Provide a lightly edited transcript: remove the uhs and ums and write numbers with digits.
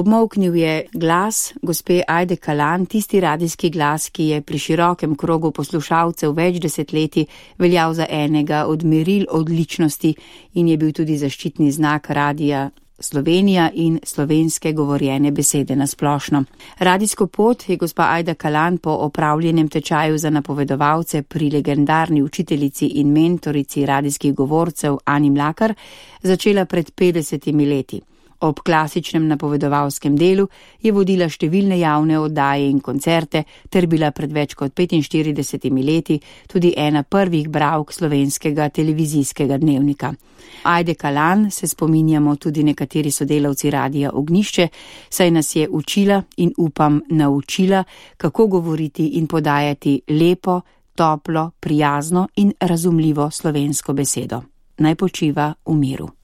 Obmolknil je glas gospe Ajde Kalan, tisti radijski glas, ki je pri širokem krogu poslušalcev več desetletij veljal za enega od meril odličnosti in je bil tudi zaščitni znak Radija Slovenija in slovenske govorjene besede na splošno. Radijsko pot je gospa Ajda Kalan po opravljenem tečaju za napovedovalce pri legendarni učiteljici in mentorici radijskih govorcev Ani Mlakar začela pred 50 leti. Ob klasičnem napovedovalskem delu je vodila številne javne oddaje in koncerte ter bila pred več kot 45 leti tudi ena prvih bralk slovenskega televizijskega dnevnika. Ajde Kalan se spominjamo tudi nekateri sodelavci Radija Ognjišče, saj nas je učila in upam naučila, kako govoriti in podajati lepo, toplo, prijazno in razumljivo slovensko besedo. Naj počiva v miru.